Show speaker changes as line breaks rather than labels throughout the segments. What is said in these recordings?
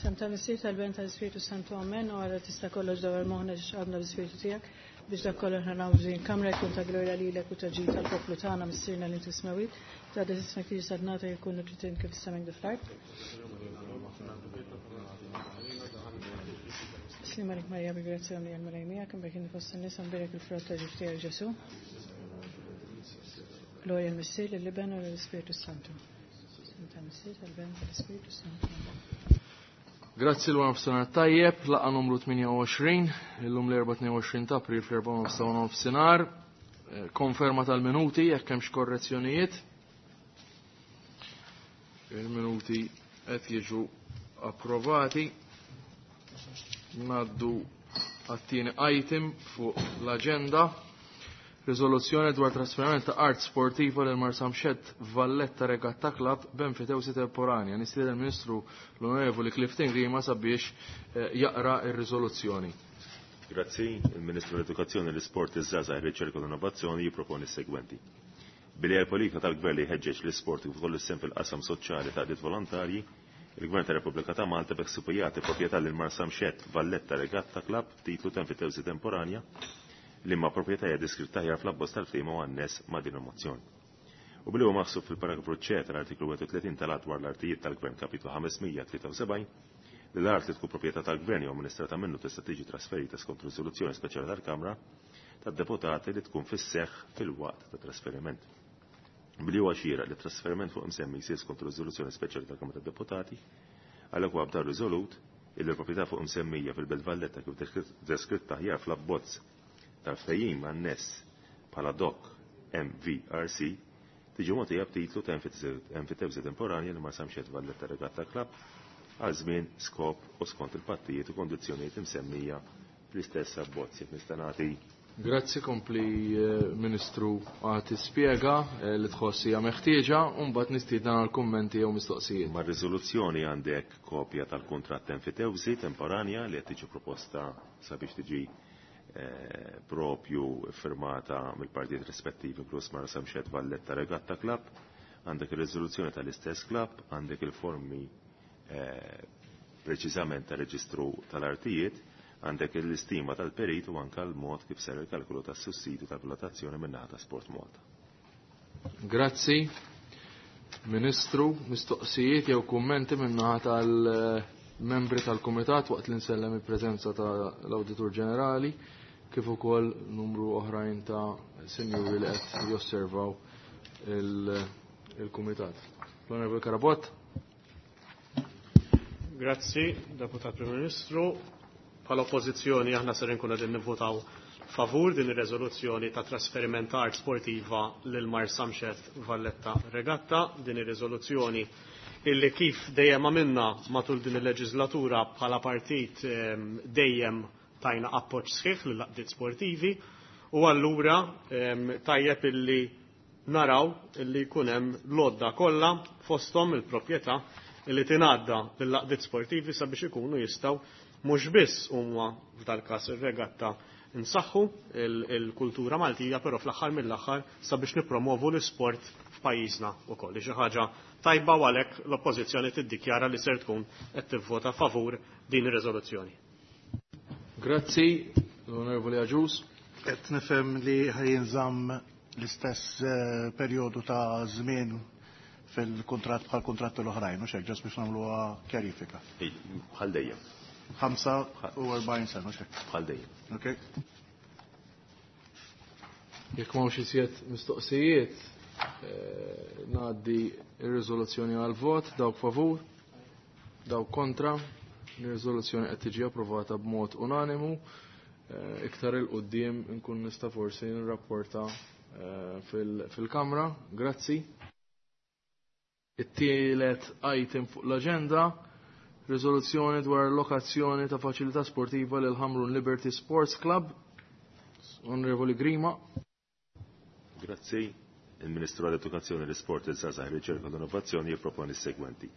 F'isem tal-Missier tal-Ben tal-Ispirtu Santu Amen u għara tista' kollox dawar moħħna ġiex għadna bl-Ispirtu tiegħek biex dak kollu aħna nagħmlu f'din kamra jkun ta' glorja lilek u ta' ġid tal-poplu tagħna Missierna li inti smewit. Ta' ismek tiġi sadnata jkun trid kif is-sema kif fl-art. Slim għalik Marija bi grazzja li għal miegħek imbagħad inti fost in-nisa mbierek il-frott ta' ġuf tiegħek Ġesu. Glorja l-Missier lill-Iben u lill-Ispirtu Santu. Tal-Missier tal-Ben tal-Ispirtu Santu.
Grazzi l nofsinhar tajjeb, laqgħa numru 28, illum l-24 ta' April fl-4 nofsinhar. Konferma tal-minuti jekk hemmx korrezzjonijiet. Il-minuti qed jiġu approvati. Ngħaddu għat-tieni item fuq l-aġenda. Riżoluzzjoni dwar trasferiment ta' art sportiva lil Marsamxett Valletta Regatta Club b'enfitewsi temporanja. Nistieden il-Ministru l-Onorevoli Clifton Grima sabiex jaqra ir-riżoluzzjoni.
Grazzi, il-Ministru l-Edukazzjoni, l-Isport, iż-Żgħażagħ, ir-Riċerka u l-Innovazzjoni jipproponi s-segwenti. Billi l-politika tal-Gvern li jħeġġeġ l-isport kif ukoll is-sehem fil-qasam soċjali ta' għaqdiet volontarji, il-Gvern tar-Repubblika ta' Malta beħsiebu jagħti proprjetà lil Marsamxett Valletta Regatta Club titlu ta' enfitewsi temporanja li ma proprjetà hija deskritta aħjar fl-abbozz tal-ftehim u anness ma' din il-mozzjoni. U billi huwa maħsub fil-paragrafu C tal-artiklu 31 tal-Att dwar l-Artijiet tal-Gvern kapitlu 573 li l-art li tkun proprjetà tal-Gvern jew amministrata minnu tista' tiġi trasferita skont riżoluzzjoni speċjali tal-Kamra tad-Deputati li tkun fis-seħħ fil-waqt ta' trasferiment. Billi huwa xieraq li trasferiment fuq imsemmi jsir skont riżoluzzjoni speċjali tal-Kamra tad-Deputati, għalhekk huwa b'dan riżolut illi l-proprjetà fuq imsemmija fil-Belt Valletta kif deskritta aħjar fl-abbozz tal-ftehim anness bħala DOC MVRC tiġi mogħtija b'titlu ta' enfitewsi temporanja li Marsamxett Valletta Regatta Club għal żmien, skop u skont il-pattijiet u kondizzjonijiet imsemmija fl-istess abbozz. Jekk nista' nagħti.
Grazzi, kompli Ministru għad tispjega li tħoss hija meħtieġa u mbagħad nistieden għal kummenti jew mistoqsijiet.
Mar-riżoluzzjoni għandek kopja tal-kuntratt enfitewsi temporanja li qed tiġi proposta sabiex tiġi propju firmata mill-partijiet rispettivi inkluż Marsamxett Valletta Regatta Club, għandek ir-riżoluzzjoni tal-istess club, għandek il-formi preċiżament tar-reġistru tal-artijiet, għandek l-istima tal-perit u anke l-mod kif ser il-kalkolu tas-sussidju tal-valutazzjoni min-naħa ta' Sport Malta.
Grazzi. Ministru, mistoqsijiet jew kummenti min-naħa tal-membri tal-Kumitat waqt li nsellem il-preżenza tal-Awditur Ġenerali kif ukoll numru oħrajn ta' sinjuri li qed josservaw il-Kumitat. L-Onorevoli Carabott.
Grazzi, Deputat Prim Ministru. Bħala oppożizzjoni aħna ser inkunu qegħdin nivvotaw favur din ir-riżoluzzjoni ta' trasferiment ta' art sportiva lil Marsamxett Valletta Regatta. Din ir-riżoluzzjoni illi kif dejjem għamilna matul din il-leġislatura bħala partit dejjem tajna appoġġ sħiħ lil laqdiet sportivi u allura tajjeb illi naraw illi jkun hemm l-għodda kollha fosthom il-proprjetà illi tingħadda lil laqdiet sportivi sabiex ikunu jistgħu mhux biss huma f'dal-każ ir-regatta nsaħħu il-kultura Maltija, però fl-aħħar mill-aħħar sabiex nippromovu l-isport f'pajjiżna wkoll. Xi ħaġa tajba u għalhekk l-Oppożizzjoni tiddikjara li ser tkun qed tivvota favur din ir-riżoluzzjoni.
Grazzi, l-Onorevoli Agius.
Qed nifhem li ħajinżamm l-istess perjodu ta' żmien fil-kuntratt bħal kuntratti l-oħrajn, u xek, ġas biex nagħmluha kjarifika.
Bħal dejjem.
45 sena, u xek.
Bħal dejjem.
Ok.
Jekk m'hawnx iżjed mistoqsijiet, ngħaddi r-riżoluzzjoni għal vot, dawk favur, dawk kontra, ir-riżoluzzjoni qed tiġi approvata b'mod unanimu. Iktar il quddiem nkun nista' forsi nirrapporta fil-Kamra. Grazzi. It-tielet item fuq l-aġenda, riżoluzzjoni dwar lokazzjoni ta' faċilità sportiva lil Ħamrun Liberty Sports Club. Onorevoli Grima.
Grazzi. Il-Ministru għall-Edukazzjoni, l-Isport, il-Żgħażagħ, ir-Riċerka u l-Innovazzjoni jipproponi s-segwenti.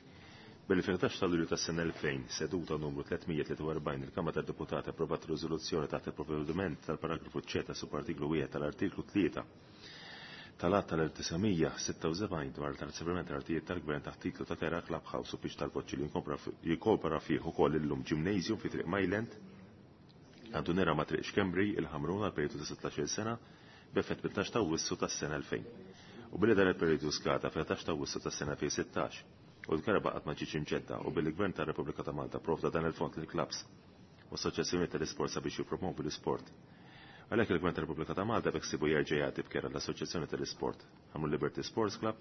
Billi fil-11 ta' Lulju tas-sena 2000, seduta numru 343, il-Kamra tad-Deputati approvat riżoluzzjoni taħt il-provvediment tal-paragrafu C ta' subartiklu 1 tal-artiklu 3 tal-att tal-1976 dwar trasferiment tal-artijiet tal-Gvern taħt titlu ta' kera Clubhouse u pitch tal-boċċi li jinkopra fih ukoll illum gymnasium fi Triq Myland, kantuniera ma' Triq Xkembri, il-Ħamrun għal perjodu ta' 16-il sena b'effett mit-12 ta' Awwissu tas-sena 2000. U billi dan il-perjodu skada fil-11 ta' Awwissu tas-sena 2016 u l-kera baqgħet ma ġietx imġedda u billi l-Gvern tar-Repubblika ta' Malta provda dan il-fond lill-klabbs u assoċjazzjonijiet tal-isport sabiex jippromovu l-isport. Għalhekk il-Gvern tar-Repubblika ta' Malta beħsiebu jerġa' jagħti b'kera l-Assoċjazzjoni tal-Isport Ħamrun Liberty Sports Club,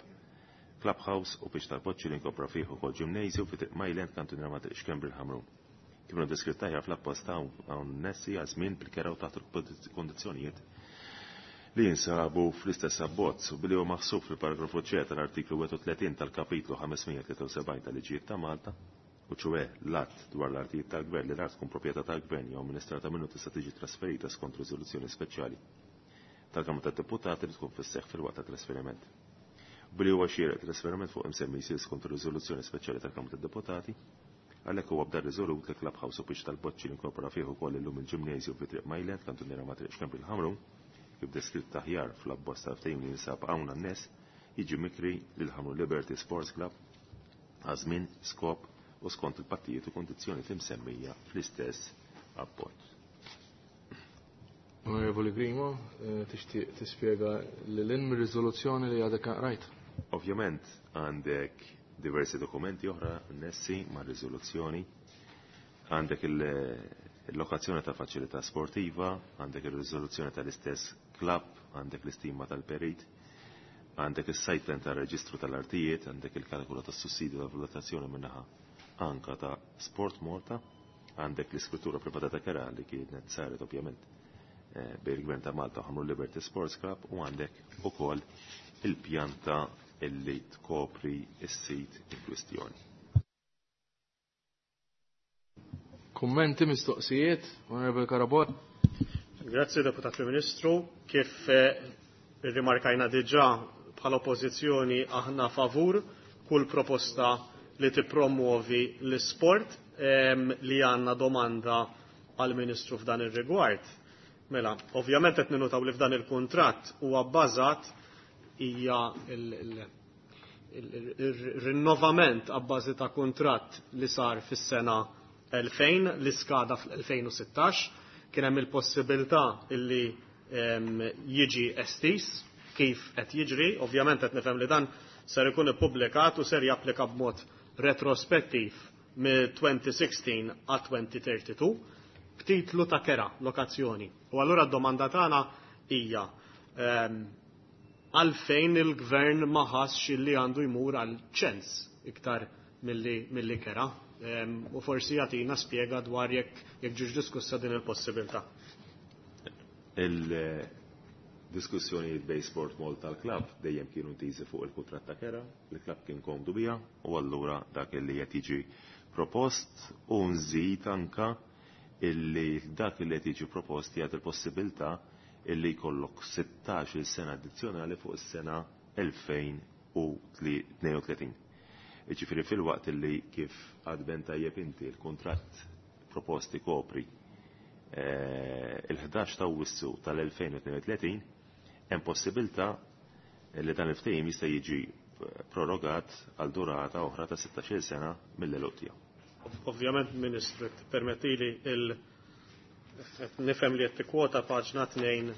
Clubhouse u pitch tal-boċċi li nkopra fih ukoll gymnasium fi Triq Myland kantuniera ma' Triq Xkembri l-Ħamrun. Kif inhu deskritt aħjar fl-appost hawn nessi għal żmien bil-kera u taħt il-kondizzjonijiet li jinsabu fl-istess abbozz u billi huwa maħsub fil-paragrafu C tal-artiklu 31 tal-kapitlu 573 tal-Liġijiet ta' Malta, u ċoè l-att dwar l-artijiet tal-gvern li l-art tkun proprjetà tal-gvern jew amministrata minnu tista' tiġi trasferita skont riżoluzzjoni speċjali tal-Kamra tad-Deputati li tkun fis-seħħ fil-waqt tat-trasferiment. Billi huwa xieraq trasferiment fuq imsemmi jsir skont riżoluzzjoni speċjali tal-Kamra tad-Deputati, għalhekk huwa b'dan riżolut li Clubhouse u pitch tal-boċċi li inkorpora fih ukoll illum il-ġimnasju fi Triq Myland, kantuniera ma' Triq Xkembri l-Ħamrun, kif deskritt aħjar fl-abbozz tal-ftehim li jinsab hawn għan-nies, jiġi mikri lil Ħamrun Liberty Sports Club għal żmien, skop u skont il-pattijiet u kondizzjonijiet imsemmija fl-istess abbozz.
Onorevoli Grima, tixtieq tispjega lil hinn mir-riżoluzzjoni li għadek rajt?
Ovvjament għandek diversi dokumenti oħra annessi mar-riżoluzzjoni, għandek il-lokazzjoni ta' faċilità sportiva, għandek il-riżoluzzjoni tal-istess club, għandek l-istima tal-perit, għandek il-site plan tal-reġistru tal-artijiet, għandek il-kalkolu tas-sussidju tal-valutazzjoni minnaħa anka ta' Sport Malta, għandek l-iskrittura privata ta' kera li kienet saret ovvjament bejn il-Gvern ta' Malta u Ħamrun Liberty Sports Club u għandek ukoll il-pjanta illi tkopri s-sit in kwistjoni.
Kummenti, mistoqsijiet, Onorevole Carabott.
Grazie, Deputat Prim Ministru. Kif rimarkajna diġà bħala oppożizzjoni aħna favur kull proposta li tippromuovi l-sport li għandna domanda għal-Ministru f'dan ir-rigward. Mela, ovvjament qed ninutaw li f'dan il-kuntratt huwa bbażat hija il-rinnovament għabbażi ta' kuntratt li sar fis-sena 2000 li skada fl-2016 kien hemm il-possibilità illi jiġi estis kif qed jiġri, ovvjament qed nifhem li dan ser ikun ippubblikat u ser japplika b'mod retrospettiv mill-2016 għal 2032 b'titlu ta' kera, lokazzjoni. U allura d-domanda tagħna hija għalfejn il-gvern ma ħassx illi għandu jmur għal ċens iktar milli kera. U forsi jagħtina spjega dwar jekk ġiġ diskussa din il-possibilità.
Il-diskussjonijiet bej Sport Malta tal-klab dejjem kienu ntiżi fuq il-kuntratt ta' kera, il-klab kien komdu bija u allura dak li qed jiġi propost u nżid anka illi dak li qed jiġi propost jagħti il-possibilità illi jkollok 16-il sena addizzjonali fuq is-sena 2032. Jiġifieri fil-waqt illi kif għadben tajjeb inti l-kuntratt proposti kopri il-11 ta' Awwissu tal-2032 hemm possibilità li dan il-ftehim jista' jiġi prorogat għal durata oħra ta' 16-il sena mill-eluq tiegħu.
Ovvjament, Ministru, permettili il nifhem li qed tikkwota paġna 2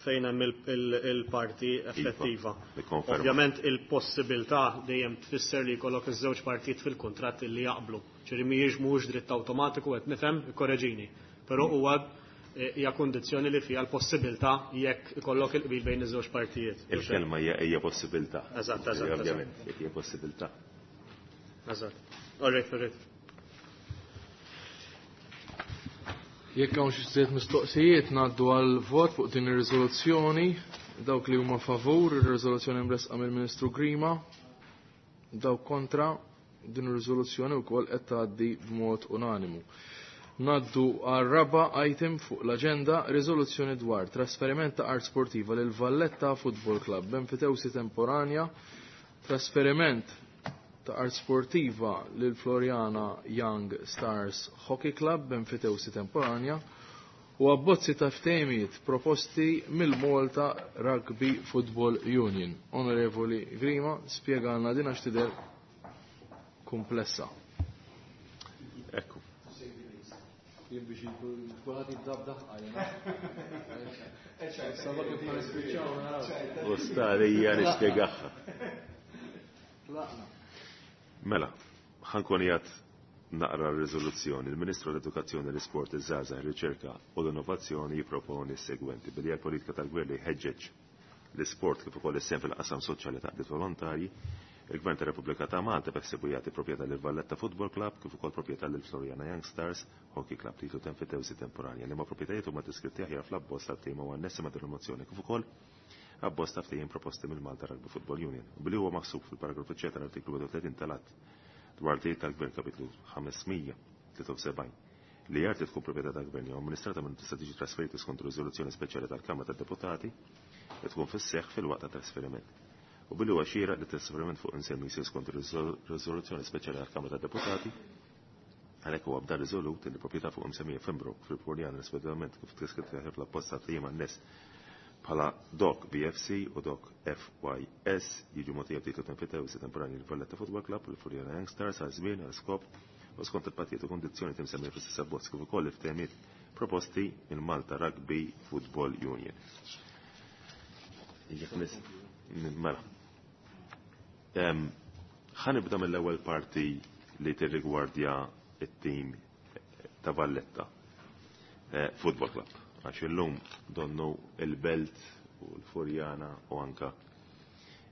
fejn hemm il-parti effettiva.
Iva,
Ovvjament il-possibilità dejjem tfisser li jkollok iż-żewġ partijiet fil-kuntratt li jaqblu. Ġifieri mhijiex mhux dritt awtomatiku qed nifhem ikkoreġini. Però huwa hija kundizzjoni li fiha l-possibilità jekk ikollok il-qbil bejn iż-żewġ partijiet.
Il-kelma hija possibilità.
Eżatt, eżatt,
Ovvjament, jekk hija possibilità.
Eżatt. All right, all right.
Jekk hawn xi żied mistoqsijiet ngħaddu għal vot fuq din ir-riżoluzzjoni, dawk li huma favur ir-riżoluzzjoni mresqa mill-Ministru Grima, dawk kontra din ir-riżoluzzjoni wkoll qed tgħaddi b'mod unanimu. Ngħaddu għal raba item fuq l-aġenda, riżoluzzjoni dwar trasferiment ta' art sportiva lil Valletta Football Club b'enfitewsi temporanja, trasferiment ta' art sportiva lil Floriana Young Stars Hockey Club b'enfitewsi temporanja u abbozzi ta' ftehimiet proposti mill-Malta Rugby Football Union. Onorevoli Grima, spjegalna din għax tidher komplessa.
Ekku.
Jien biex kulħadd jibda b'daħqa
U starija nispjegaha. Mela, ħankun jgħat naqra r-riżoluzzjoni. Il-Ministru l-Edukazzjoni, l-Isport, iż-Żgħażagħ, ir-Riċerka u l-Innovazzjoni jipproponi s-segwenti billi l-politika tal-gvern li jħeġġeġ l-isport kif ukoll is-sehem fil-qasam soċjali ta' qdiet volontarji, il-Gvern tar-Repubblika ta' Malta beħsiebu jagħti proprjetà lil Valletta Football Club kif ukoll proprjetà lil Floriana Young Stars Hockey Club titlu ta' temporanja li ma proprjetajiet huma deskritti aħjar fl-abbozz tal-ftehim u annessi ma' din il-mozzjoni kif ukoll abbozz ta' ftehim proposti mill-Malta Rugby Football Union. U billi huwa maħsub fil-paragrafu C tal-artiklu 31 tal-Att dwar artijiet tal-Gvern kapitlu 573 li art li tkun proprjetà tal-Gvern jew amministrata minn tista' tiġi trasferita skont riżoluzzjoni speċjali tal-Kamra tad-Deputati li tkun fis-seħħ fil-waqt ta' trasferiment. U billi huwa xieraq li trasferiment fuq insemmi jsir skont riżoluzzjoni speċjali tal-Kamra tad-Deputati, għalhekk huwa b'dan riżolut li proprjetà fuq imsemmija f'Pembroke fil-Floriana rispettivament kif deskritt fl-apposta ftehim anness bħala DOC BFC u DOC FYS jiġu mogħtija b'titlu ta' enfitewsi temporanji l-Valletta Football Club u l-Floriana Young Stars għal żmien għal skop u skont il-pattijiet u kondizzjoni timsemmija fl-istess abbozz kif ukoll il-ftehimiet proposti minn Malta Rugby Football Union. Mela. Ħa nibda mill-ewwel parti li tirrigwardja it-tim ta' Valletta Football Club. Għax illum donnu il-Belt u l-Furjana u anka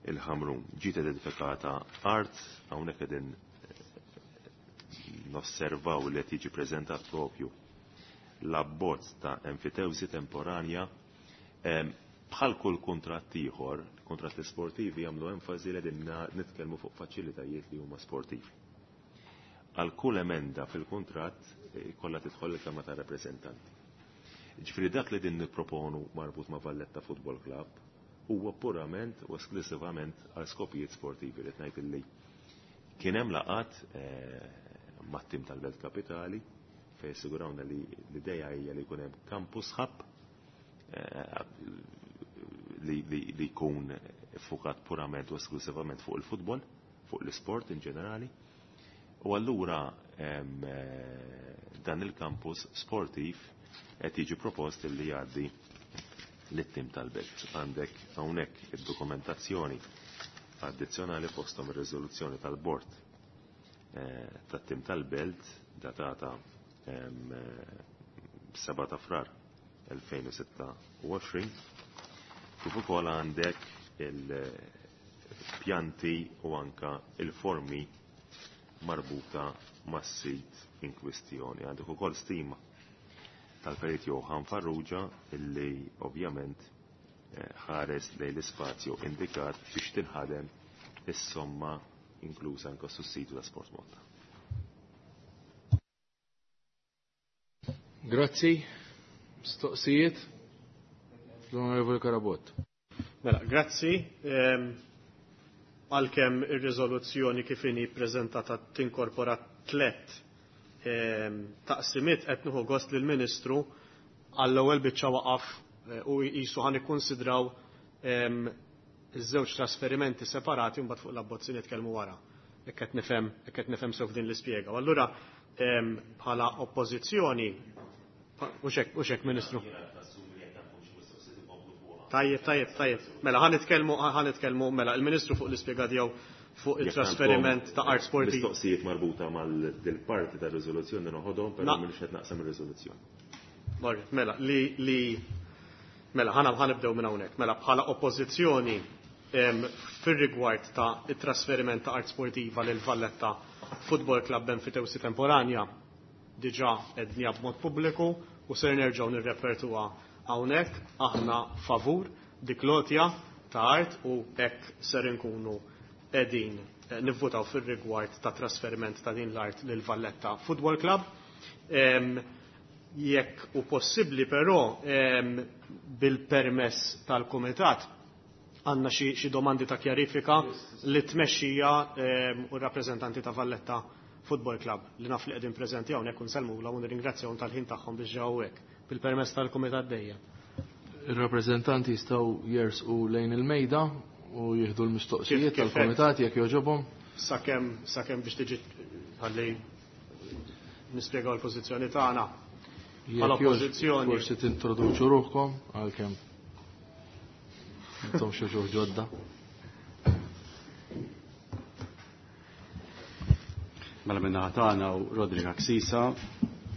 il-Ħamrun. Ġiet identifikata art hawnhekk qegħdin nosservaw li qed jiġi preżentat propju l-abbozz ta' enfitewsi temporanja. Bħal kull kuntratt ieħor, kontratti sportivi jagħmlu enfasi li qegħdin nitkellmu fuq faċilitajiet li huma sportivi. Għal kull emenda fil-kuntratt kollha tidħol il-Kamra ta' Rappreżentanti. Ġifieri dak li din nipproponu marbut ma' Valletta Football Club huwa purament u esklusivament għal skopijiet sportivi li ngħid illi kien hemm laqat mat-tim tal-Belt Kapitali fejn sigurawna li l-idea hija li jkun hemm campus hub li jkun fukat purament u esklusivament fuq il-futbol, fuq l-isport in ġenerali. U allura dan il-campus sportiv qed jiġi propost li jgħaddi lit-tim tal-Belt. Għandek hawnhekk id-dokumentazzjoni addizzjonali fosthom ir-riżoluzzjoni tal-bord tat-tim tal-Belt datata 7 ta' Frar 2026, kif ukoll għandek il-pjanti u anka il-formi marbuta mas-sit in kwistjoni. Għandek ukoll stima tal-perit Johan Farrugia illi ovvjament ħares lejn l-ispazju indikat biex tinħadem is-somma inklusa anke sussidju ta' Sport Malta.
Grazzi. Mistoqsijiet? L-Onorevoli Carabott.
Mela, grazzi. Għalkemm ir-riżoluzzjoni kif inhi ppreżentata tinkorpora tliet taqsimiet, qed nieħu gost lill-Ministru għall-ewwel biċċa waqaf u jqisu ħan ikkunsidraw iż-żewġ trasferimenti separati u mbagħad fuq l-abbozzi nitkellmu wara. Hekk qed nifhem, hekk qed nifhem sew f'din l-ispjega. U allura bħala oppożizzjoni, u hekk Ministru. Tajjeb, tajjeb, tajjeb. Mela, ħa nitkellmu, mela, il-Ministru fuq l-ispjega tiegħu fuq il-trasferiment ta' art sportiv.
Mistoqsijiet marbuta mal-parti ta' riżoluzzjoni noħodhom, però mhux qed naqsam ir-riżoluzzjoni.
Marret, mela, li mela ħana ħanibdew minn hawnhekk. Mela bħala oppożizzjoni fir-rigward ta' it-trasferiment ta' art sportiva lil Valletta Football Club b'enfitewsi temporanja diġà qednija b'mod pubbliku u ser nerġgħu nirrepertuha hawnhekk, aħna favur dik lotja ta' art u hekk ser inkunu qegħdin nivvutaw fir-rigward ta' trasferiment ta' din l-art lil Valletta Football Club. Jekk u possibbli però bil-permess tal-Kumitat għandna xi domandi ta' kjarifika li tmexxija u r-rappreżentanti ta' Valletta Football Club li naf li qegħdin preżenti hawnhekk u nsellmulhom u nirringrazzjahom tal-ħin tagħhom biex ġew hawnhekk bil-permess tal-Kumitat dejjem.
Ir-rappreżentanti jistgħu jersqu lejn il-mejda u jieħdu l-mistoqsijiet tal-Kumitat jekk jogħġobhom.
Sakemm biex tiġi ħalli nispjegaw l-pożizzjoni tagħna. Bħala oppożizzjoni.
Forsi tintroduċu ruħkom għalkemm intom xi ġodda.
Mela minna tagħna u Rodrik Axisa,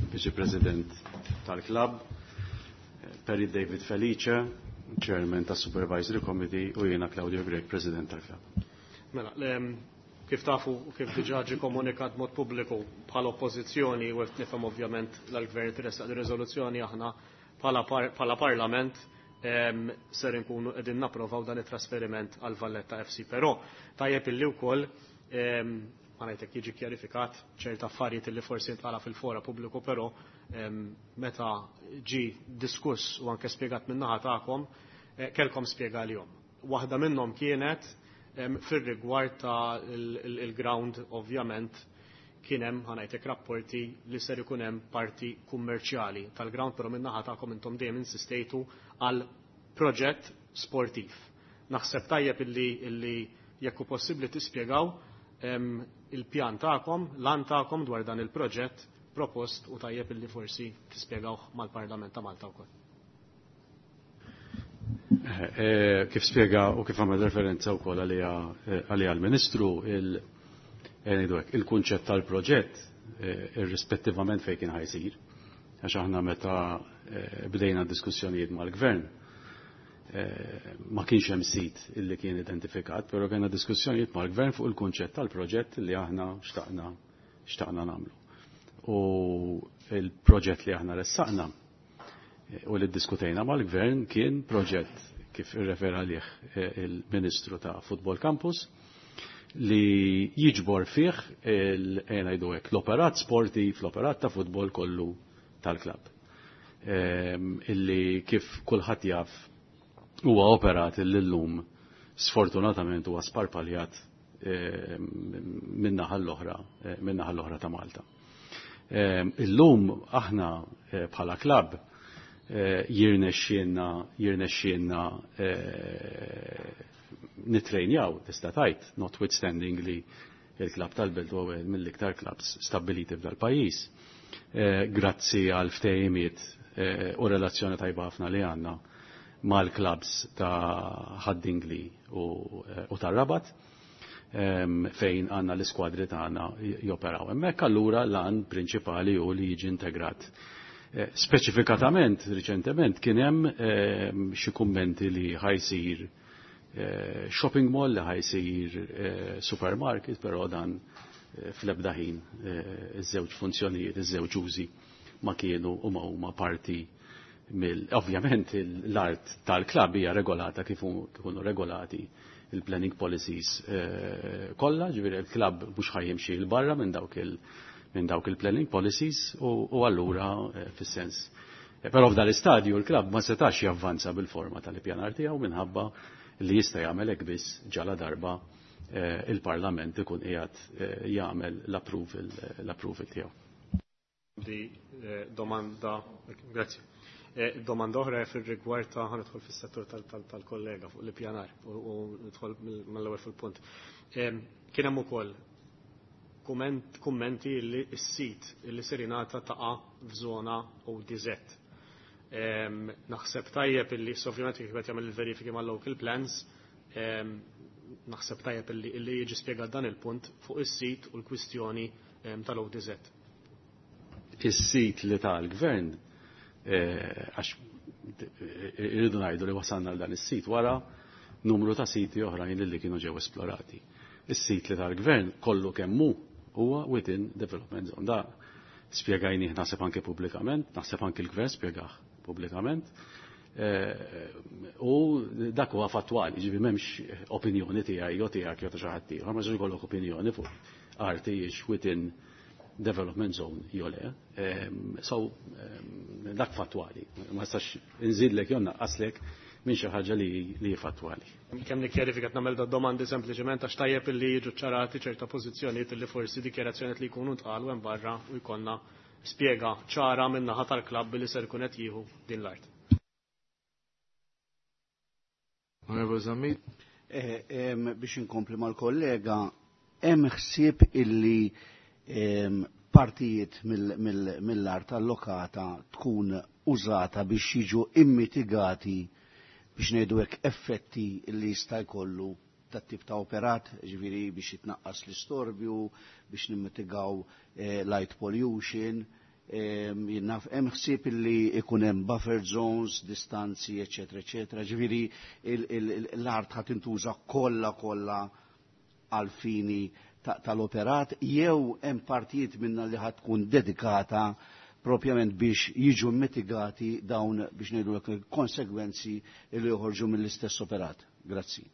Viċi President tal-Klabb, Perry David Felice, Chairman tas Supervisory Committee u jiena Claudio Grech, President tal-Klabb.
Mela, kif tafu kif diġà ġie komunikat mod pubbliku bħala oppożizzjoni u qed nifhem ovvjament l-gvern tressaq di riżoluzzjoni aħna bħala parlament ser inkunu qegħdin napprovaw dan it-trasferiment għal Valletta FC. Però tajjeb illi wkoll ma ngħidlek jiġi kjarifikat ċerta affarijiet li forsi ntqala fil-fora pubbliku, però meta ġi diskuss u anke spjegat min-naħa tagħkom kellkom spjega għalihom. Waħda minnhom kienet fir-rigward ta' il-ground ovvjament kien hemm ħa ngħidlek rapporti li ser ikun hemm parti kummerċjali tal-ground, però min-naħa tagħkom intom dejjem insistejtu għal proġett sportiv. Naħseb tajjeb illi jekk hu possibbli tispjegaw il-pjan tagħkom, l-għan tagħkom dwar dan il-proġett propost u tajjeb illi forsi tispjegawh mal-Parlament ta' Malta wkoll.
Kif spjega u kif għamel referenza wkoll għalija l-Ministru, il-kunċett tal-proġett irrispettivament fejn kien ħajsir, għax aħna meta bdejna diskussjonijiet mal-Gvern ma kienx hemm sit illi kien identifikat, però kellna diskussjonijiet mal-Gvern fuq il-kunċett tal-proġett li aħna xtaqna nagħmlu. U il-proġett li aħna ressaqna u li ddiskutejna mal-Gvern kien proġett kif irrefera għalih il-Ministru ta' Football Campus li jiġbor fih l-operat sportiv, l-operat ta' futbol kollu tal-klabb. Illi kif kulħadd jaf huwa operat illi llum sfortunatament huwa sparpaljat min-naħa l-oħra ta' Malta. Illum aħna bħala klabb jirnexxielna nitrejnjaw, tista' tgħid, notwithstanding li il-klabb tal-Belt huwa wieħed mill-iktar klabbs stabbiliti f'dal-pajjiż. Grazzi għal ftehimiet u relazzjoni tajba ħafna li għandna mal-klabbs ta' Ħad-Dingli u tar-Rabat, fejn għandna l-iskwadri tagħna joperaw. Hemmhekk allura l-għan prinċipali hu li jiġi integrat. Speċifikatament, riċentement, kien hemm xi kummenti li ħajsir shopping mall, li ħajsir supermarket, però dan fl-ebda ħin iż-żewġ funzjonijiet, iż-żewġ użi ma kienu u ma huma parti mill. Ovvjament l-art tal-klabb hija regolata kif ikunu regolati il-planning policies kollha, ġifieri il-klabb mhux ħajjimxi 'l barra minn dawk il-planning policies u allura fis-sens. Però f'dan l-istadju l-klabb ma setax javvanza bil-forma tal-ippjanar tiegħu minħabba li jista' jagħmel hekk biss ġala darba il-Parlament ikun qiegħed jagħmel l-approval tiegħu.
Di domanda, grazzi. Domanda oħra fir-rigward ta' ħa nidħol fis-settur tal-kollega fuq l-ippjanar u nidħol mill-ewwel fil-punt. Kien hemm ukoll kummenti li s-sit li ser jingħata taqa' f'żona ODZ. Naħseb tajjeb illi ovvjament kif qed jagħmel il-verifiki mal-local plans, naħseb tajjeb illi jiġi spjegat dan il-punt fuq is-sit u l-kwistjoni tal-ODZ.
Is-sit li tal-gvern, għax irridu ngħidu li wasalna għal dan is-sit wara numru ta' siti oħrajn li kienu ġew esplorati. Is-sit li tal-gvern kollu kemm hu huwa within development zone. Da spjegajnih naħseb anke pubblikament, naħseb anke l-gvern spjegah pubblikament. U dak huwa fattwali, ġifieri m'hemmx opinjoni tiegħi jew tiegħek jew ta' xi ħadd ieħor, ma jistax ikollok opinjoni fuq arti hijiex within development zone jew le. So dak fattwali, ma nistax inżidlek jew naqqaslek minn xi ħaġa li li fattwali.
Kemm nikkjarifika nagħmel da domandi sempliċement għax tajjeb illi jiġu ċarati ċerta pożizzjonijiet illi forsi dikjarazzjonijiet li jkunu ntqalu hemm barra u jkollna spjega ċara minn naħa tal-klabb li ser ikun qed jieħu din l-art.
Onorevoli Zammit.
Biex inkompli mal-kollega, hemm ħsieb illi partijiet mill-art allokata tkun użata biex jiġu immitigati biex ngħidu hekk effetti li jista' jkollu tat tip ta' operat, ġifieri biex jitnaqqas l-istorbju, biex nimmitigaw light pollution, jinnaf hemm ħsieb illi ikun hemm buffer zones, distanzi, eċetera, eċetera. Ġifieri l-art ħa tintuża kollha kollha għal fini tal-operat jew hemm partijiet minna li ħad tkun dedikata propjament biex jiġu mitigati dawn biex ngħidu konsegwenzi li joħorġu mill-istess operat. Grazzi.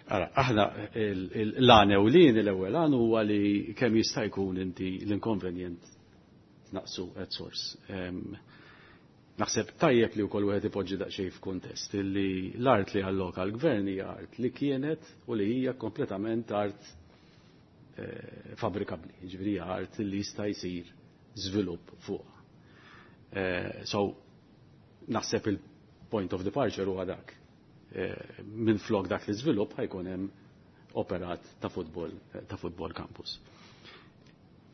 Ara, aħna l-għan ewlieni l-ewwel għan huwa li kemm jista' jkun inti l-inkonvenjent naqsu at source. Naħseb tajjeb li wkoll wieħed ipoġġi daqsxejn f'kuntest illi l-art li alloka l-gvern hija art li kienet u li hija kompletament art fabrikabbli, jiġifieri hija art li jista' jsir żvilupp fuqha. So naħseb il-point of departure huwa dak. Minn flok dak l-iżvilupp ħa jkun hemm operat ta' football campus.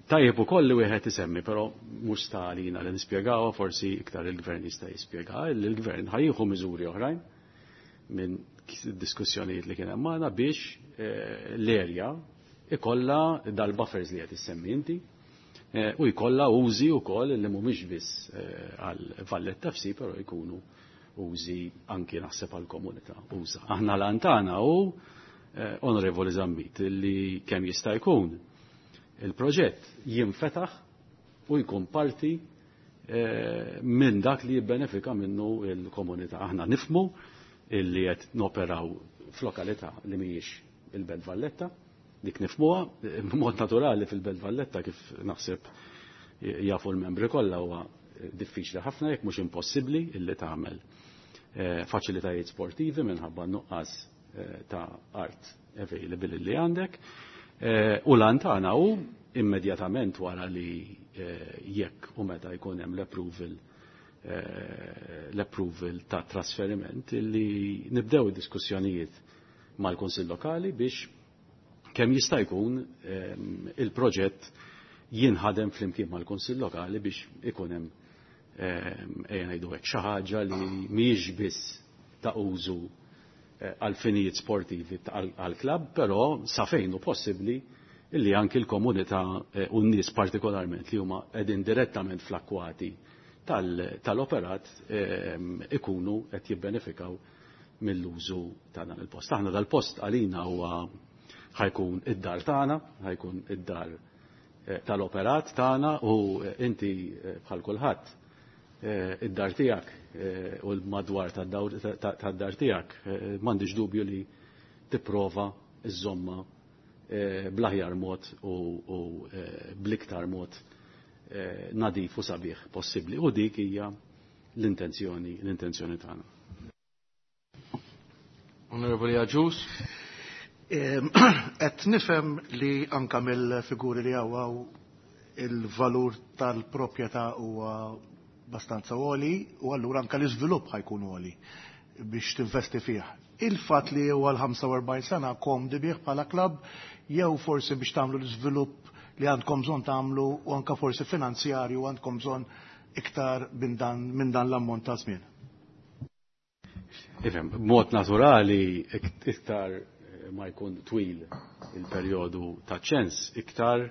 Tajjeb ukoll li wieħed isemmi, però mhux sta għalina li nispjegawha, forsi iktar il-gvern jista' jispjega, li l-gvern ħa jieħu miżuri oħrajn minn diskussjonijiet li kien hemm magħna biex l-erja ikollha dal-buffers li qed issemmi inti u jkollha użi wkoll li mhumiex biss għal Valletta FC, però jkunu użi anki naħseb għal komunità uża. Aħna l tagħna hu, Onorevoli Zammit, li kemm jista' jkun il-proġett jinfetaħ u jkun parti minn dak li jibbenefika minnu il-komunità. Aħna nifmu illi qed noperaw f'lokalità li mhijiex il-Belt Valletta, dik nifmuha b'mod naturali. Fil-Belt Valletta, kif naħseb jafu l-membri kollha, huwa diffiċli ħafna jekk mhux impossibbli illi tagħmel faċilitajiet sportivi minħabba nuqqas ta' art available li għandek. U l-għan tagħna hu immedjatament wara li jekk u meta jkun hemm l-approval ta' trasferiment illi nibdew id-diskussjonijiet mal-Kunsill Lokali biex kemm jista' jkun il-proġett jinħadem flimkien mal-Kunsill Lokali biex ikun hemm, ejja ngħidu hekk, xi ħaġa li mhijiex biss ta' użu għal finijiet sportivi għal klabb, però sa fejn hu possibbli illi anki l-komunità u n-nies partikolarment li huma qegħdin direttament fl-akkwati tal-operat ikunu qed jibbenefikaw mill-użu ta' dan il-post. Aħna dal-post għalina huwa ħa jkun id-dar tagħna, ħa jkun id-dar tal-operat tagħna u inti bħal kulħadd id-dar tiegħek u l-madwar tad-dar tiegħek m'għandix dubju li tipprova iżomma bl-aħjar mod u bl-iktar mod nadif u sabiħ possibbli. U dik hija l-intenzjoni tagħna.
Onorevoli Agius.
Qed nifhem li anka mill-figuri li hawn il-valur tal-proprjetà huwa bastanza għoli u allura anka l-iżvilupp ħa jkun għoli biex tinvesti fih. Il-fatt li huwa l-45 sena komdi bih bħala klabb jew forsi biex tagħmlu l-iżvilupp li għandkom bżonn tagħmlu u anka forsi finanzjarju għandkom bżonn iktar minn dan l-ammont ta' żmien?
Ifhem, b'mod naturali iktar ma jkun twil il-perjodu ta' ċens, iktar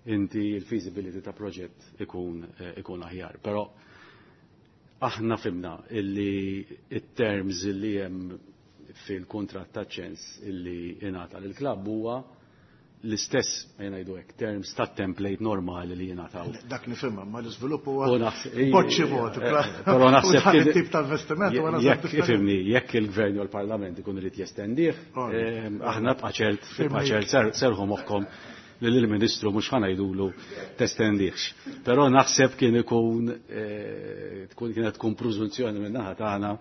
inti il-feasibility ta' proġett ikun aħjar. Però aħna fhimna illi it-terms illi hemm fil-kontratt ta' ċens illi ingħata lill-klabb huwa l-istess, ngħidu hekk, terms ta' template normali li jingħataw.
Dak nifhimha, ma l-iżvilupp huwa boċċi mod.
Però naħseb
tip ta' investiment huwa
Jekk ifhimni, jekk il-Gvern u l-Parlament ikun irid jestendih, aħna bqa' ċert, bqa' ċert, serħu moħħkom li l-Ministru mhux ħa ngħidulu testendihx. Però naħseb kien ikun tkun kienet tkun preżunzjoni minn naħa tagħna.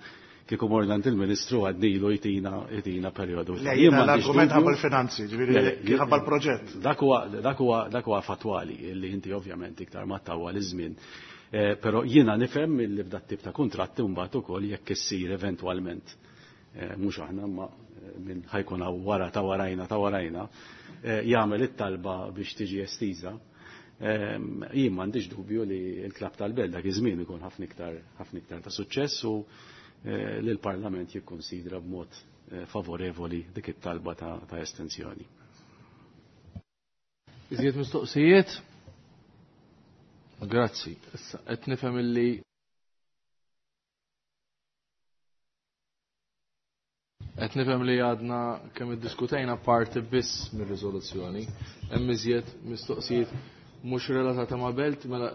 Kieku morna għand il-Ministru għadnilu jtina jtina perjodu.
Le, jiena l-argument ħabba l-finanzi, ġifieri ħabba l-proġett.
Dak huwa dak huwa dak huwa fatwali li inti ovvjament iktar ma tawwa l-iżmien. Però jiena nifhem li f'dat tip ta' kuntratti mbagħad ukoll jekk issir eventwalment mhux aħna ma minn ħajkun hawn wara ta' warajna ta' warajna jagħmel it-talba biex tiġi estiża. Jien m'għandix dubju li l-klabb tal-Belt dak iż-żmien ikun ħafna iktar ħafna iktar ta' suċċess u li l-Parlament jikkonsidra b'mod favorevoli dik it-talba ta' estensjoni.
Iżjed mistoqsijiet? Grazzi. Issa qed nifhem illi qed nifhem li għadna kemm iddiskutejna parti biss mir-riżoluzzjoni. Hemm iżjed mistoqsijiet mhux relatata ma' belt mela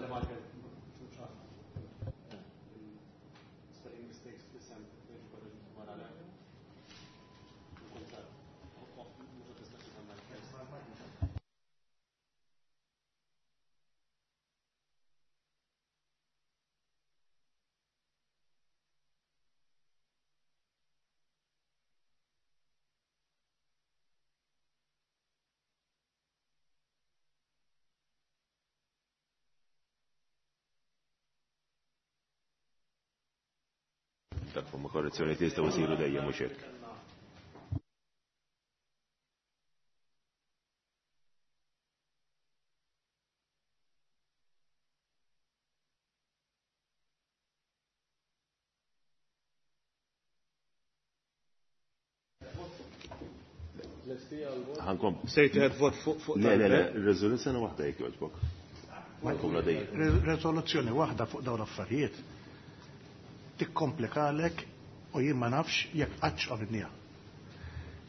Dak huma korrezzjoni jistgħu jsiru dejjem mhux hekk. Ħankom.
Sejt vot fuq
Le, le, le, riżoluzzjoni waħda jekk jogħġbok. Ħankom dejjem.
Riżoluzzjoni waħda fuq dawn l-affarijiet tikkomplikalek u jien ma nafx jekk qattx qabilniha.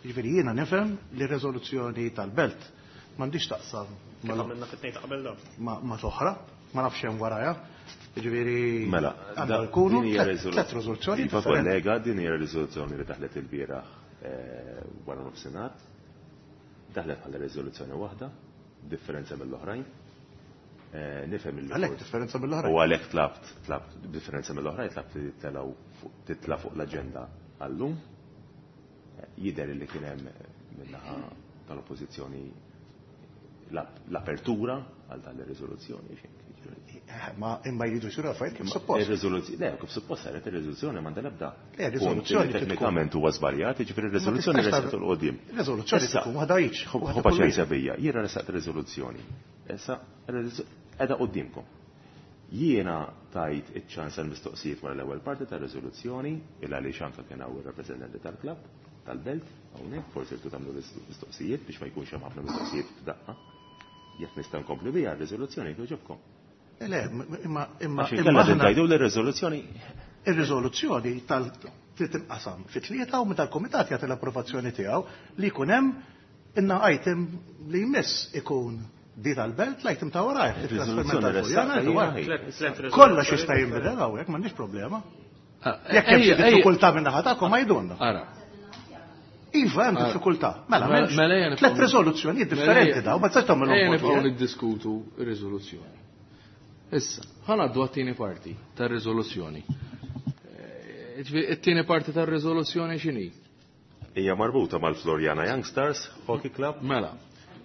Jiġifieri jiena nifhem li r-riżoluzzjoni tal-belt m'għandix taqsam
Kif għamilna fit-tnejn ta' qabel dawn.
ma' toħra, ma nafx hemm warajha. Jiġifieri
Mela,
għandha jkunu
din hija
tliet riżoluzzjoni
Iva
differenti.
kollega, din hija riżoluzzjoni li daħlet il-bieraħ wara nofsinhar. Daħlet bħala riżoluzzjoni waħda, differenza mill-oħrajn. Nifhem il
Għalhekk differenza mill-oħrajn.
U għalhekk tlabt differenza mill-oħrajn, tlabt li titla' fuq l-aġenda għallum. Jidher li kien hemm min-naħa tal-oppożizzjoni l-apertura għal dan ir-riżoluzzjoni.
Ma imma jridu jsiru affarijiet kif suppost.
Ir-riżoluzzjoni, le, kif suppost saret ir-riżoluzzjoni m'għandha l-ebda
Le, riżoluzzjoni
punt li teknikament huwa żbaljat, jiġifieri r-riżoluzzjoni
Ma tistax
resqet 'il quddiem.
Ir-riżoluzzjoni
Issa,
tkun waħda jiġ, waħda
ħu
kull
paċenzja
wieħed.
bija, jiena resaqt ir-riżoluzzjoni. Issa, qiegħda quddiemkom. Jiena tajt iċ-ċans għal mistoqsijiet wara l-ewwel parti tar-riżoluzzjoni, il għaliex anke kien hawn ir-rappreżentanti tal-klabb, tal-belt, hawnhekk forsi rtu tagħmlu mistoqsijiet biex ma jkunx hemm ħafna mistoqsijiet f'daqqa. Jekk nista' nkompli biha r-riżoluzzjoni jogħġobkom.
Le, imma imma
Għax
imma
inkella
aħna
tgħidu li r-riżoluzzjoni
ir-riżoluzzjoni tal trid tinqasam fi tlieta u meta l-kumitat jagħti l-approvazzjoni tiegħu li jkun hemm inna item li jmiss ikun di tal-belt l-item ta' warajh, it-trasferiment
Ir-riżoluzzjoni
tal-Furjana,
restata
li wara.
hija ħaj.
Tliet riżoluzzjoni
Kollox jista' jinbidel hawnhekk, m'għandix problema. Jekk hemm xi diffikultà minn naħa tagħkom għajdulna.
Ara.
Iva, hemm
Ara.
diffikultà. Mela,
Mela,
m'hemmx
mela ejja nibqgħu
tliet riżoluzzjonijiet differenti daw, ma tistax tagħmilhom
Ejja
voti,
nibqgħu
eh?
niddiskutu r-riżoluzzjoni. Issa, ħa ngħaddu għat-tieni parti tar-riżoluzzjoni. Ġifieri, it-tieni parti tar-riżoluzzjoni x'inhi?
Hija marbuta mal-Floriana Youngsters Hockey Club.
Mela,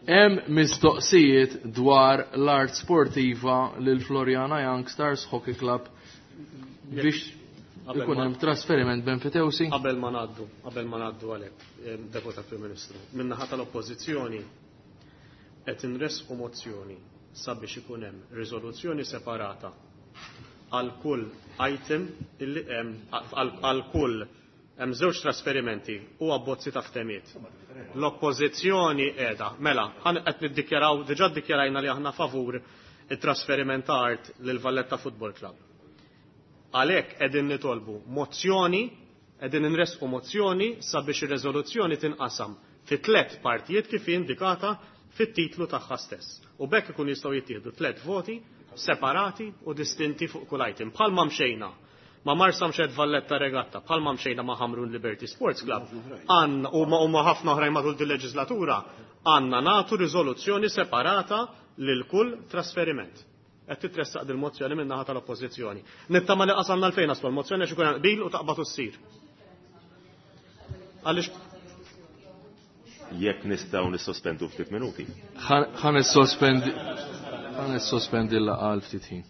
hemm mistoqsijiet dwar l-art sportiva lil Floriana Youngsters Hockey Club biex
Qabel
ikun
ma-
hemm trasferiment benfitewsi.
Qabel ma ngħaddu, qabel ma ngħaddu għalhekk, Deputat Prim Ministru, min-naħa tal-Oppożizzjoni qed inresqu mozzjoni sabiex ikun hemm riżoluzzjoni separata għal kull item illi hemm għal kull hemm żewġ trasferimenti u abbozzi ta' ftehimiet. L-oppożizzjoni qiegħda, mela, ħan qed niddikjaraw, diġà ddikjarajna li aħna favur it-trasferiment ta' art lil Valletta Football Club. Għalhekk qegħdin nitolbu mozzjoni, qegħdin inresqu mozzjoni sabiex ir-riżoluzzjoni tinqasam fi tliet partijiet kif indikata fit-titlu tagħha stess. U b'hekk ikun jistgħu jittieħdu tliet voti separati u distinti fuq kull item. Bħalma mxejna ma' Marsamxett Valletta Regatta, bħalma mxejna ma' Ħamrun Liberty Sports Club, għandna u ma' ħafna oħrajn matul din leġislatura, għandna nagħtu riżoluzzjoni separata lil kull trasferiment. Qed titressaq dil-mozzjoni minn naħa tal-Oppożizzjoni. Nittama li qasamna l-fejn naslu l-mozzjoni għax ikun hemm qbil u taqbad u ssir. Għaliex
Jekk nistgħu nissospendu ftit minuti.
Ħa nissospendi l-laqgħa għal ftit ħin.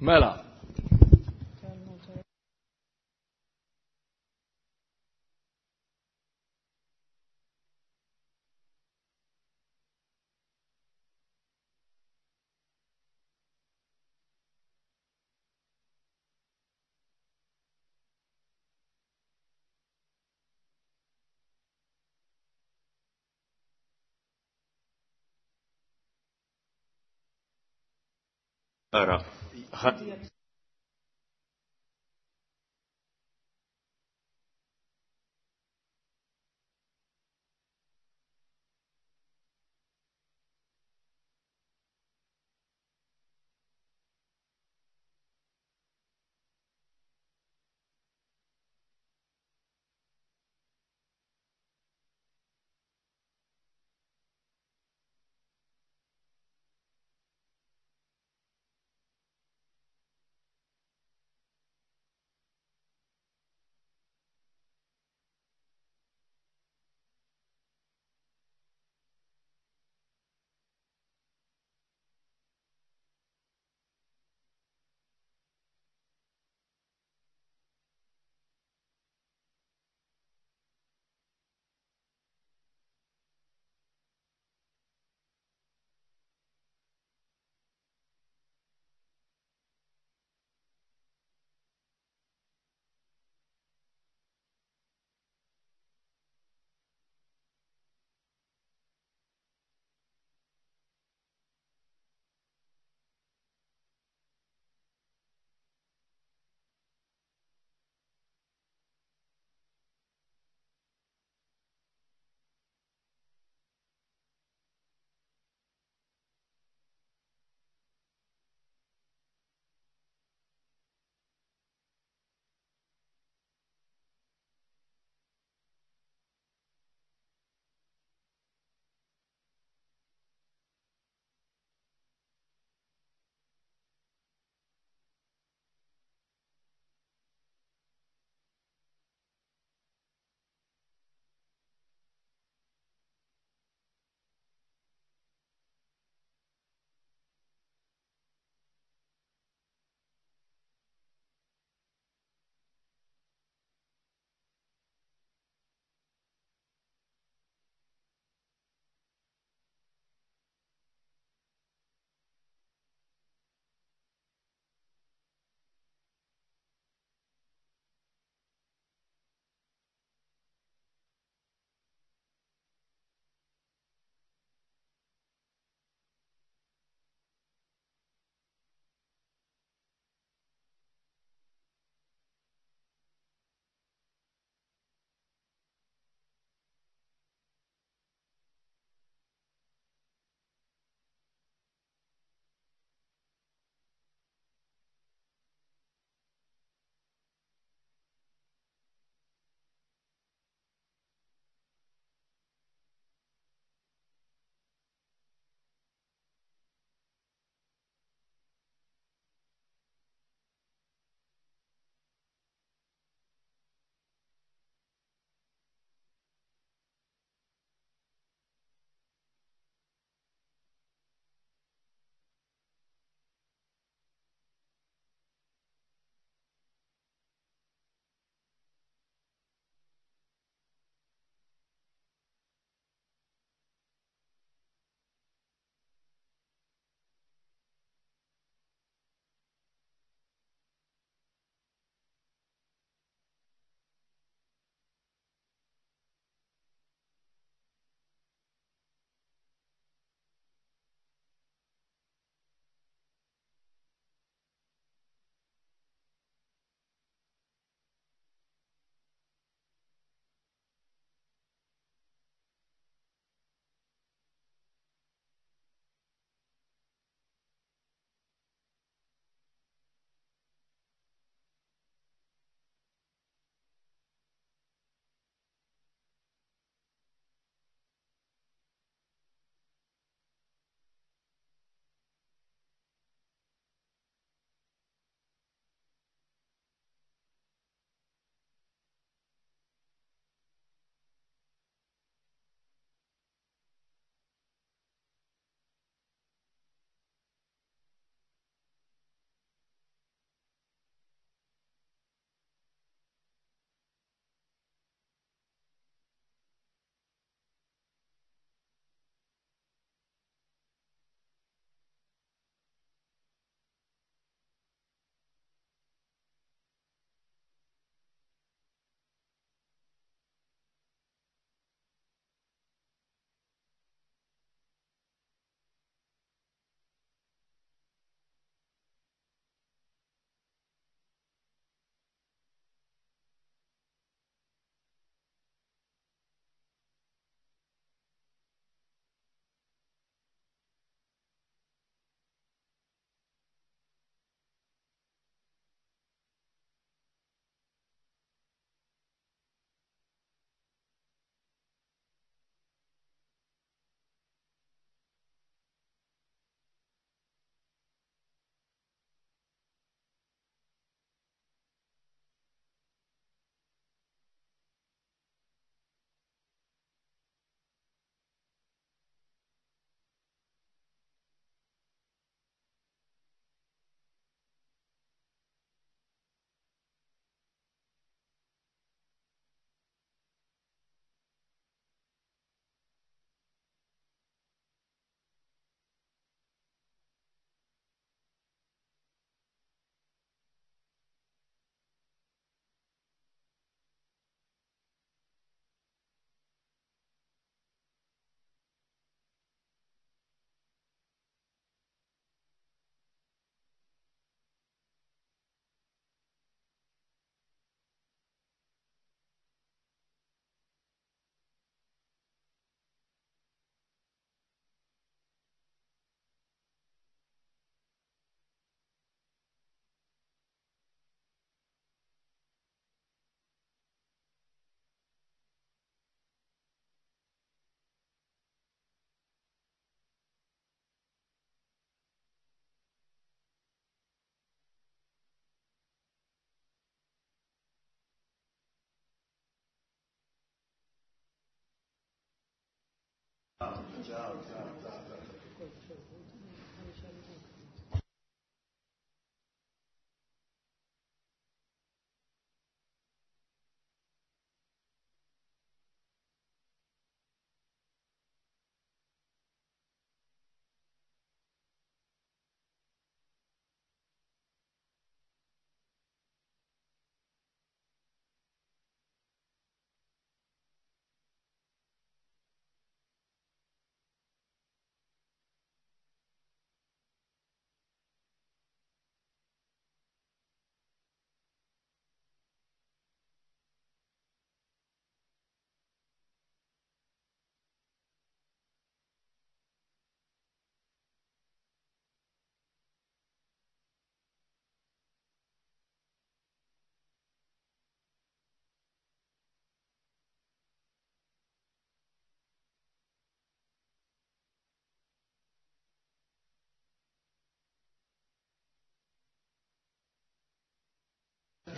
Mela.
Ara,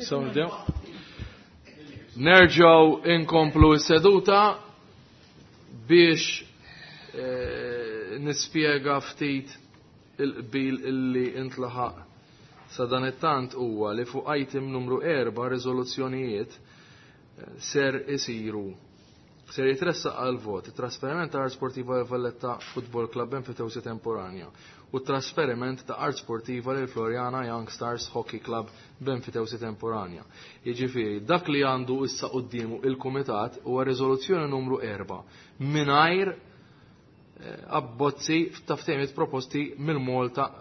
So nibdew. Nerġgħu inkomplu s-seduta biex eh, nispjega ftit il-qbil illi intlaħaq sa dan it-tant huwa li fuq item numru 4 riżoluzzjonijiet eh, ser isiru ser jitressaq għal vot it-trasferiment ta' Art Sportiva l Valletta Football Club enfitewsi temporanja u trasferiment ta' Art Sportiva lil Floriana Young Stars Hockey Club b'enfitewsi temporanja. Jiġifieri dak li għandu issa quddiemu il-Kumitat huwa riżoluzzjoni numru 4 mingħajr eh, abbozzi ta' ftehimiet proposti mill-Malta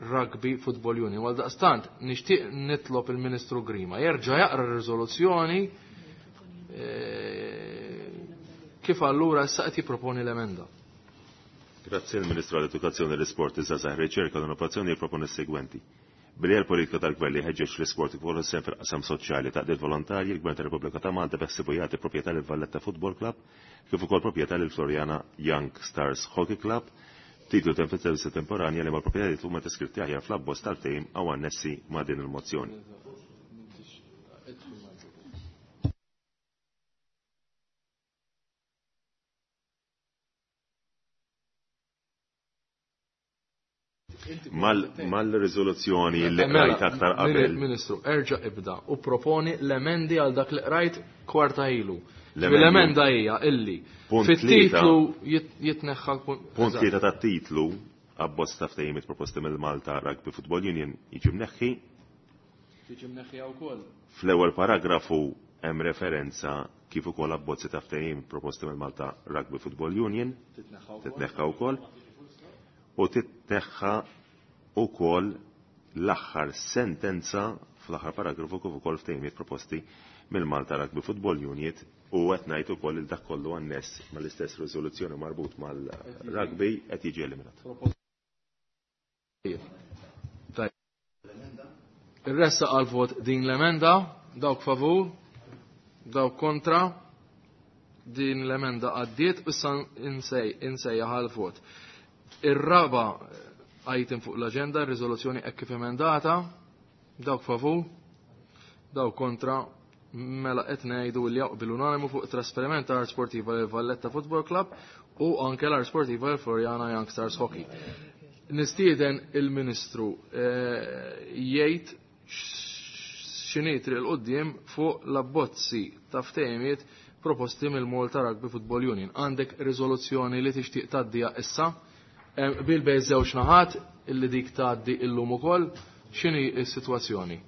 Rugby Football Union. Għal daqstant, nixtieq nitlob il-Ministru Grima jerġa' jaqra r-riżoluzzjoni eh, kif allura issa qed jipproponi l-emenda.
Grazzi il-Ministru għall-Edukazzjoni, l-Isport, iż-Żgħażagħ, Riċerka u l-Innovazzjoni jipproponi s-segwenti. Billi l-politika tal-gvern li ħeġġeġ l-isport kif ukoll sehem fil-qasam soċjali taqdiet volontarji, il-Gvern tar-Repubblika ta' Malta beħsibu jagħti proprjetà lil Valletta Football Club kif ukoll proprjetà lil Floriana Young Stars Hockey Club titlu ta' temporanja li mal proprjetajiet huma deskritti aħjar fl-abbozz tal-ftehim aw annessi ma' din il-mozzjoni. Mal-riżoluzzjoni li
Mela,
qrajt aktar qabel.
Ministru, erġa' ibda u proponi l-emendi għal dak li qrajt kwarta ilu.
L-emendi.
L-emenda hija illi
Punt
fit-titlu jitneħħa
Punt tlieta tat-titlu abbozz ta' ftehimiet proposti mill-Malta Rugby Football Union jiġi mneħħi.
Tiġi mneħħija wkoll.
Fl-ewwel paragrafu hemm referenza kif ukoll abbozzi ta' ftehim proposti mill-Malta Rugby Football Union titneħħa wkoll u titneħħa wkoll l-aħħar sentenza fl-aħħar paragrafu kif ukoll ftehimiet proposti mill-Malta Rugby Football Union u qed ngħid ukoll il dak kollu anness mal-istess riżoluzzjoni marbut mal-rugby qed jiġi eliminat.
Ir-ressa għal vot din l-emenda, dawk favur, dawk kontra, din l-emenda għaddiet, issa insejjaħ għal vot. Ir-raba item fuq l-agenda, riżoluzzjoni hekk kif emendata, dawk favur, dawk kontra, mela qed ngħidu li jaqbel unanimu fuq trasferiment ta' Art Sportiva lil Valletta Football Club u anke l-Art Sportiva lil Floriana Young Stars Hockey. Nistieden il-Ministru eh, jgħid x'inhi triq il qudiem fuq l-abbozzi ta' ftehimiet proposti mill-Malta Rugby Football Union. Għandek riżoluzzjoni li tixtieq tgħaddiha issa eh, bil bej żewġ naħat illi dik tgħaddi illum ukoll x'inhi s-sitwazzjoni?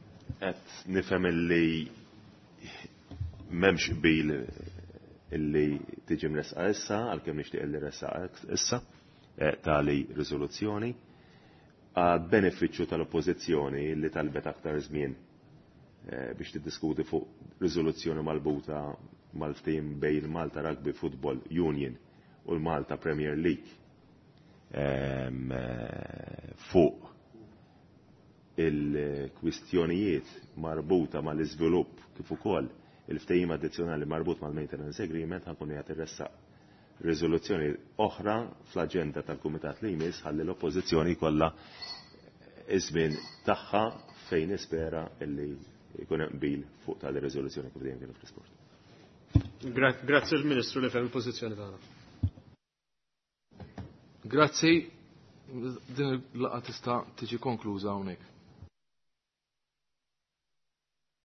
Qed nifhem illi m'hemmx qbil illi tiġi mresqa issa għalkemm nixtieq illi ressaqa issa eh, tali riżoluzzjoni għad benefiċċju tal-oppożizzjoni li talbet aktar żmien eh, biex tiddiskuti fuq riżoluzzjoni malbuta mal-ftehim bejn il-Malta Rugby Football Union u l-Malta Premier League eh, fuq il-kwistjonijiet marbuta mal-iżvilupp kif ukoll il-ftehim addizzjonali marbut mal-maintenance agreement ħankun qed irressaq riżoluzzjoni oħra fl-aġenda tal-Kumitat li jmiss ħalli l-Oppożizzjoni kollha iż-żmien tagħha fejn nispera illi jkun hemm qbil fuq tali riżoluzzjoni kif dejjem kienu fl-isport.
Grazzi l-Ministru li fem il-pożizzjoni tagħna.
Grazzi, din il-laqgħa tista' tiġi konkluża hawnhekk.